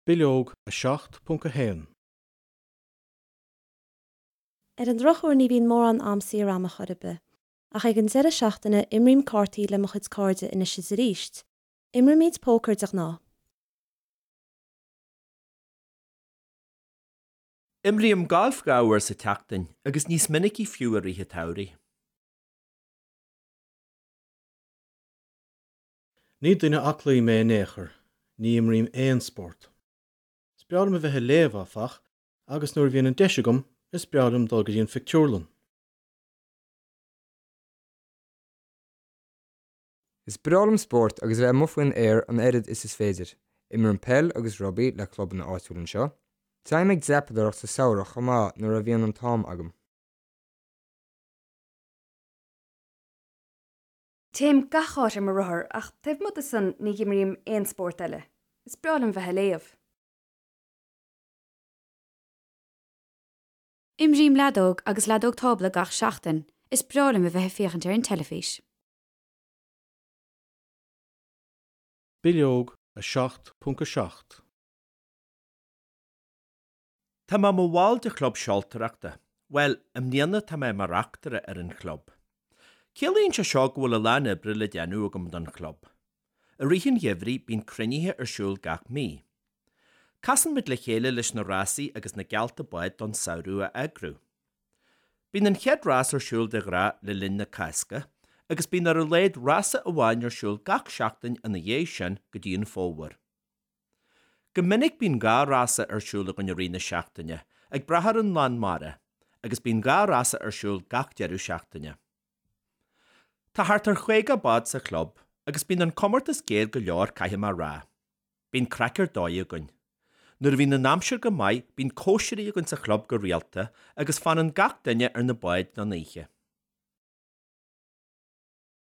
Bileog 7.1. Ar an drochuair ní bhíonn mórán am saor a'm ar chor ar bith. Ach ag an deireadh seachtaine imrím cártaí le mo chuid cairde anois is arís. Imrímid pócar de ghnáth. Imrím galf 2 uair sa tseachtain agus níos minicí fiú i rith an tsamhraidh. Ní duine aclaí mé in aon chor, ní imrím aon spórt. Is breá liom a bheith ag léamh, áfach, agus nuair a bhíonn an deis agam, is breá liom dul go dtí an phictiúrlann. Is breá liom spórt agus a bheith amuigh faoin aer an oiread is is féidir. Imrím peil agus rugbaí le clubanna áitiúla anseo. Téim ag dreapadóireacht sa samhradh chomh maith nuair a bhíonn an t-am agam. Téim gach áit ar mo rothar ach taobh amuigh de san ní imrím aon spórt eile. Is breá liom bheith ag léamh. Imrím leadóg agus leadóg tábla gach seachtain. Is breá liom a bheith ag féachaint ar an teilifís. Bileog 7.7. Tá mé i mo bhall de chlub seoltóireachta. Bhuel, i mbliana tá mé i mo reachtaire ar an chlub. Ciallaíonn sé seo go bhfuil a lán oibre le déanamh agam don chlub. I rith an gheimhridh bíonn cruinnithe ar siúl gach mí. Casann muid le chéile leis na rásaí agus na geallta bád don samhradh a eagrú. Bíonn an chéad rás ar siúl de ghnáth le linn na Cásca agus bíonn ar a laghad rása amháin ar siúl gach seachtain ina dhiaidh sin go dtí an fómhar. Go minic bíonn 2 rása ar siúl againn i rith na seachtaine, ag brath ar an lán mara, agus bíonn 2 rása ar siúl gach deireadh seachtaine. Tá thart ar 50 bád sa chlub agus bíonn an comórtas géar go leor caithfidh mé a rá. Bíonn craic ar dóigh againn. Nuair a bhíonn an aimsir go maith bíonn cóisirí againn sa chlub go rialta agus fanann gach duine ar na báid don oíche.